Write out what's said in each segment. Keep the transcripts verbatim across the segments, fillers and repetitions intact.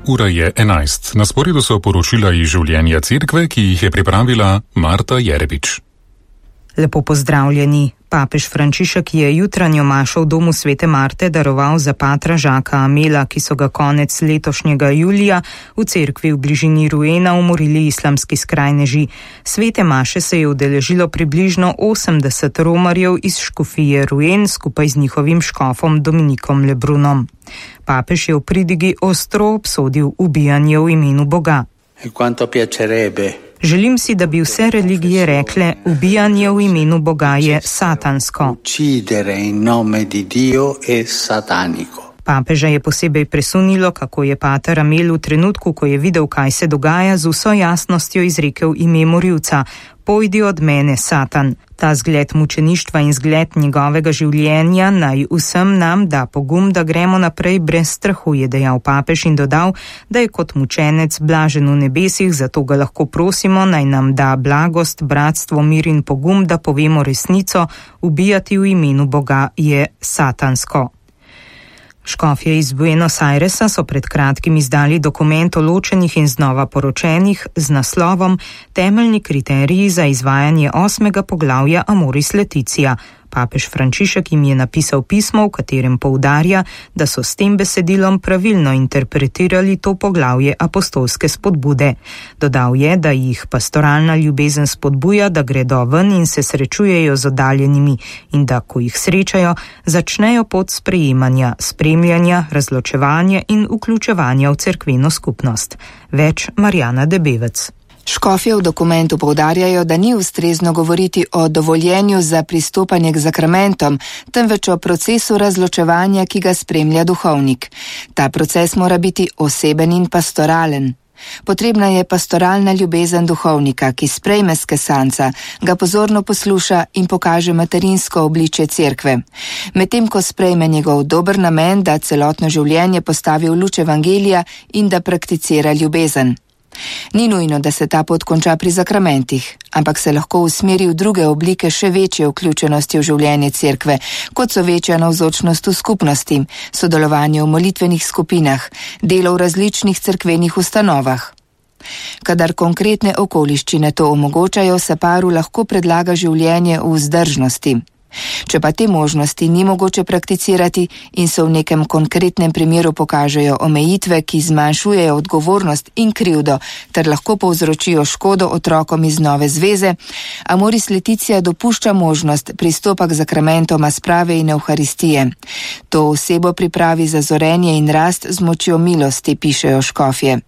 Ura je enajst. Na sporedu so poročila iz življenja cerkve, ki jih je pripravila Marta Jerebič. Lepo pozdravljeni. Papež Frančišek je jutranjo mašo v domu Svete Marte daroval za patra Žaka Amela, ki so ga konec letošnjega julija v cerkvi v bližini Rouena umorili islamski skrajneži. Svete maše se je udeležilo približno osemdeset romarjev iz škofije Rouen skupaj z njihovim škofom Dominikom Lebrunom. Papež je v pridigi ostro obsodil ubijanje v imenu Boga. Želim si, da bi vse religije rekle, ubijanje v imenu Boga je satansko. Papeža je posebej presunilo, kako je pater Amel v trenutku, ko je videl, kaj se dogaja, z vso jasnostjo izrekel ime morilca: pojdi od mene, Satan. Ta zgled mučeništva in zgled njegovega življenja naj vsem nam da pogum, da gremo naprej brez strahu, je dejal papež in dodal, da je kot mučenec blažen v nebesih, zato ga lahko prosimo, naj nam da blagost, bratstvo, mir in pogum, da povemo resnico: ubijati v imenu Boga je satansko. Škofje iz Buenos Airesa so pred kratkim izdali dokument o ločenih in znova poročenih z naslovom Temeljni kriteriji za izvajanje osmega poglavja Amoris Laetitia. Papež Frančišek jim je napisal pismo, v katerem poudarja, da so s tem besedilom pravilno interpretirali to poglavje apostolske spodbude. Dodal je, da jih pastoralna ljubezen spodbuja, da gredo ven in se srečujejo z oddaljenimi in da, ko jih srečajo, začnejo pot sprejemanja, spremljanja, razločevanja in vključevanja v cerkveno skupnost. Več Marjana Debevec. Škofje v dokumentu poudarjajo, da ni ustrezno govoriti o dovoljenju za pristopanje k zakramentom, temveč o procesu razločevanja, ki ga spremlja duhovnik. Ta proces mora biti oseben in pastoralen. Potrebna je pastoralna ljubezen duhovnika, ki sprejme skesanca, ga pozorno posluša in pokaže materinsko obličje cerkve. Medtem ko sprejme njegov dober namen, da celotno življenje postavi v luč evangelija in da prakticira ljubezen. Ni nujno, da se ta pot konča pri zakramentih, ampak se lahko usmeri v druge oblike še večje vključenosti v življenje cerkve, kot so večja navzočnost v skupnosti, sodelovanje v molitvenih skupinah, delo v različnih cerkvenih ustanovah. Kadar konkretne okoliščine to omogočajo, se paru lahko predlaga življenje v vzdržnosti. Če pa te možnosti ni mogoče prakticirati in se v nekem konkretnem primeru pokažejo omejitve, ki zmanjšujejo odgovornost in krivdo ter lahko povzročijo škodo otrokom iz nove zveze, Amoris Laetitia dopušča možnost pristopa k zakramentoma sprave in evharistije. To osebo pripravi za zorenje in rast z močjo milosti, pišejo škofje.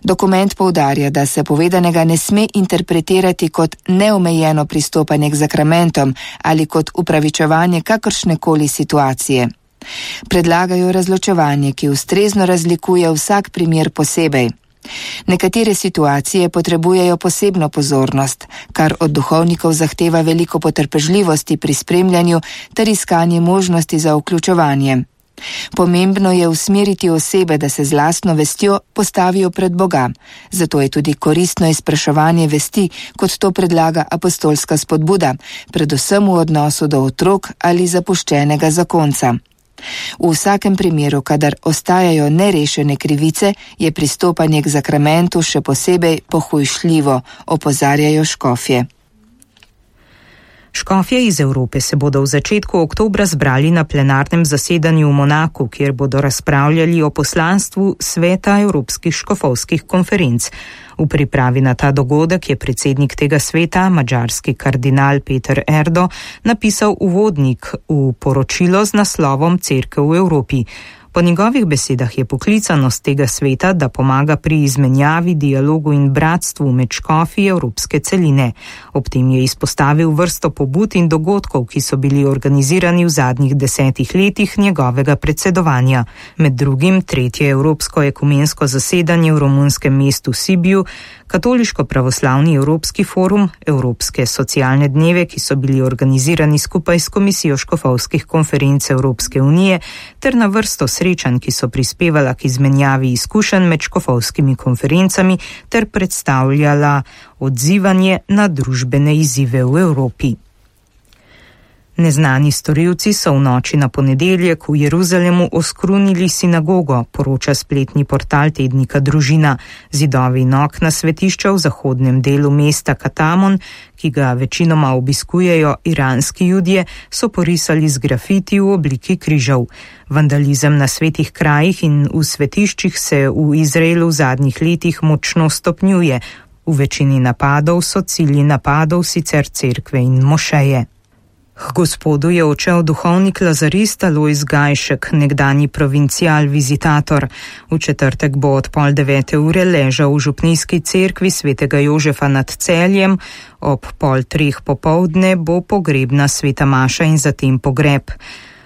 Dokument poudarja, da se povedanega ne sme interpretirati kot neomejeno pristopanje k zakramentom ali kot upravičevanje kakršnekoli situacije. Predlagajo razločevanje, ki ustrezno razlikuje vsak primer posebej. Nekatere situacije potrebujejo posebno pozornost, kar od duhovnikov zahteva veliko potrpežljivosti pri spremljanju ter iskanje možnosti za vključevanje. Pomembno je usmeriti osebe, da se z lastno vestjo postavijo pred Boga. Zato je tudi koristno izpraševanje vesti, kot to predlaga apostolska spodbuda, predvsem v odnosu do otrok ali zapuščenega zakonca. V vsakem primeru, kadar ostajajo nerešene krivice, je pristopanje k zakramentu še posebej pohujšljivo, opozarjajo škofje. Škofje iz Evrope se bodo v začetku oktobra zbrali na plenarnem zasedanju v Monaku, kjer bodo razpravljali o poslanstvu Sveta Evropskih škofovskih konferenc. V pripravi na ta dogodek je predsednik tega sveta, madžarski kardinal Peter Erdo, napisal uvodnik v poročilo z naslovom Cerkev v Evropi. Po njegovih besedah je poklicanost tega sveta, da pomaga pri izmenjavi, dialogu in bratstvu med škofi evropske celine. Ob tem je izpostavil vrsto pobud in dogodkov, ki so bili organizirani v zadnjih desetih letih njegovega predsedovanja. Med drugim tretje Evropsko ekumensko zasedanje v romunskem mestu Sibiju, Katoliško-pravoslavni Evropski forum, Evropske socialne dneve, ki so bili organizirani skupaj s Komisijo škofovskih konferenc Evropske unije, ter na vrsto srečanj, ki so prispevala k izmenjavi izkušenj med škofovskimi konferencami ter predstavljala odzivanje na družbene izzive v Evropi. Neznani storilci so v noči na ponedeljek v Jeruzalemu oskrunili sinagogo, poroča spletni portal tednika Družina. Zidovi in okna svetišča v zahodnem delu mesta Katamon, ki ga večinoma obiskujejo iranski judje, so porisali z grafiti v obliki križev. Vandalizem na svetih krajih in v svetiščih se v Izraelu v zadnjih letih močno stopnjuje. V večini napadov so cilji napadov sicer cerkve in mošeje. K gospodu je odšel duhovnik lazarist Alojz Gajšek, nekdanji provincial vizitator. V četrtek bo od pol devete ure ležal v župnijski cerkvi svetega Jožefa nad Celjem, ob pol treh popoldne bo pogrebna sveta maša in zatem pogreb.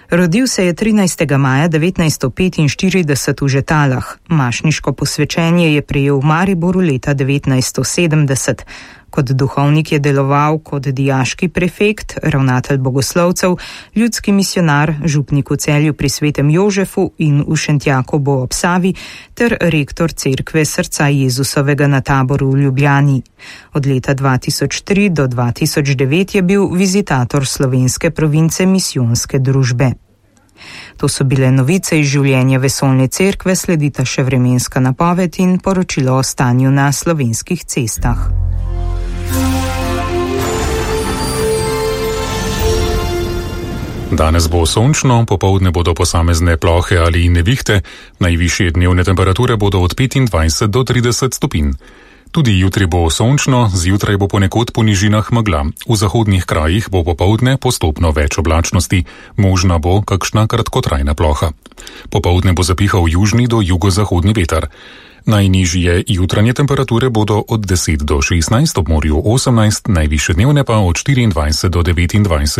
Rodil se je trinajstega maja devetnajststo petinštirideset v Žetalah. Mašniško posvečenje je prejel v Mariboru leta devetnajststo sedemdeset. Kot duhovnik je deloval kot dijaški prefekt, ravnatelj bogoslovcev, ljudski misionar, župnik v Celju pri svetem Jožefu in v Šentjakobu ob Savi ter rektor cerkve Srca Jezusovega na Taboru v Ljubljani. Od leta dva tisoč tri do dva tisoč devet je bil vizitator slovenske province misijonske družbe. To so bile novice iz življenja vesoljne cerkve, sledita še vremenska napoved in poročilo o stanju na slovenskih cestah. Danes bo sončno, popoldne bodo posamezne plohe ali nevihte, najvišje dnevne temperature bodo od petindvajset do trideset stopinj. Tudi jutri bo sončno, zjutraj bo ponekod po nižinah megla. V zahodnih krajih bo popoldne postopno več oblačnosti, možna bo kakšna kratkotrajna ploha. Popoldne bo zapihal južni do jugozahodni veter. Najnižje jutranje temperature bodo od deset do šestnajst, ob morju osemnajst, najvišje dnevne pa od štiriindvajset do devetindvajset.